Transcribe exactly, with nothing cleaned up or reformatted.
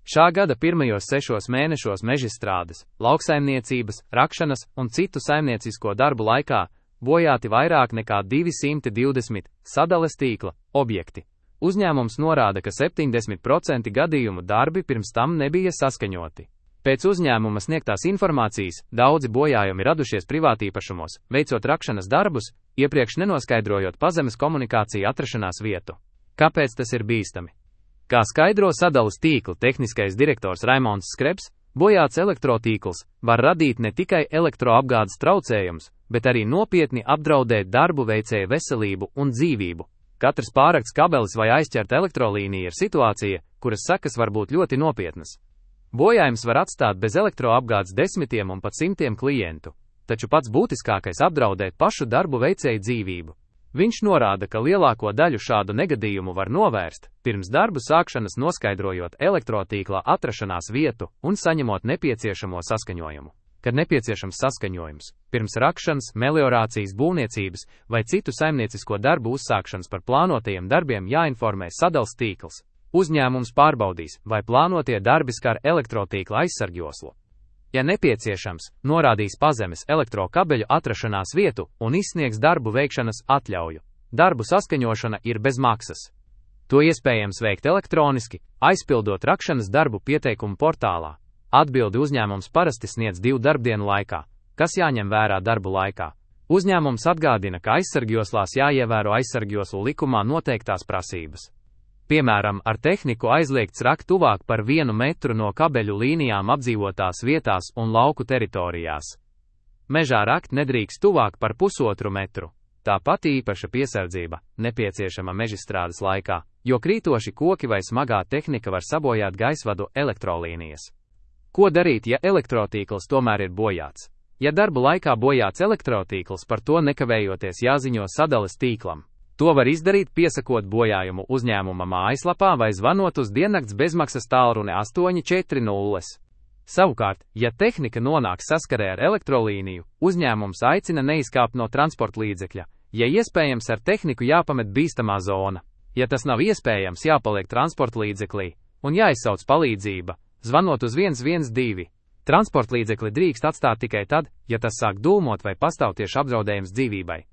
Šā gada pirmajos sešos mēnešos mežstrādes, lauksaimniecības, rakšanas un citu saimniecisko darbu laikā bojāti vairāk nekā divi simti divdesmit sadales tīkla objekti. Uzņēmums norāda, ka septiņdesmit procenti gadījumu darbi pirms tam nebija saskaņoti. Pēc uzņēmuma sniegtās informācijas daudzi bojājumi radušies privātīpašumos, veicot rakšanas darbus, iepriekš nenoskaidrojot pazemes komunikāciju atrašanās vietu. Kāpēc tas ir bīstami? Kā skaidro sadales tīkla tehniskais direktors Raimonds Skrebs, bojāts elektrotīkls var radīt ne tikai elektroapgādes traucējumus, bet arī nopietni apdraudēt darbu veicēju veselību un dzīvību. Katrs pārrakts kabelis vai aizķerta elektrolīnija ir situācija, kuras sekas var būt ļoti nopietnas. Bojājums var atstāt bez elektroapgādes desmitiem un pat simtiem klientu, taču pats būtiskākais apdraudēt pašu darbu veicēju dzīvību. Viņš norāda, ka lielāko daļu šādu negadījumu var novērst, pirms darbu sākšanas noskaidrojot elektrotīklā atrašanās vietu un saņemot nepieciešamo saskaņojumu. Kad nepieciešams saskaņojums, pirms rakšanas, meliorācijas, būvniecības vai citu saimniecisko darbu uzsākšanas par plānotajiem darbiem jāinformē sadales tīkls. Uzņēmums pārbaudīs, vai plānotie darbi skar elektrotīkla aizsargjoslu. Ja nepieciešams, norādīs pazemes elektrokabeļu atrašanās vietu un izsniegs darbu veikšanas atļauju. Darbu saskaņošana ir bez maksas. To iespējams veikt elektroniski, aizpildot rakšanas darbu pieteikumu portālā. Atbildi uzņēmums parasti sniedz divu darbdienu laikā, kas jāņem vērā darbu laikā. Uzņēmums atgādina, ka aizsargjoslās jāievēro aizsargjoslu likumā noteiktās prasības. Piemēram, ar tehniku aizliegts rakt tuvāk par vienu metru no kabeļu līnijām apdzīvotās vietās un lauku teritorijās. Mežā rakt nedrīkst tuvāk par pusotru metru. Tāpat īpaša piesardzība nepieciešama mežstrādes laikā, jo krītoši koki vai smagā tehnika var sabojāt gaisvadu elektrolīnijas. Ko darīt, ja elektrotīkls tomēr ir bojāts? Ja darbu laikā bojāts elektrotīkls, par to nekavējoties jāziņo sadales tīklam. To var izdarīt, piesakot bojājumu uzņēmuma mājaslapā vai zvanot uz diennakts bezmaksas tālruni astoņi četri nulle. Savukārt, ja tehnika nonāk saskarē ar elektrolīniju, uzņēmums aicina neizkāpt no transporta līdzekļa, ja iespējams ar tehniku jāpamet bīstamā zona. Ja tas nav iespējams, jāpaliek transporta līdzeklī un jāizsauc palīdzība, zvanot uz viens viens divi. Transporta līdzekli drīkst atstāt tikai tad, ja tas sāk dūmot vai pastāv tieši apdraudējums dzīvībai.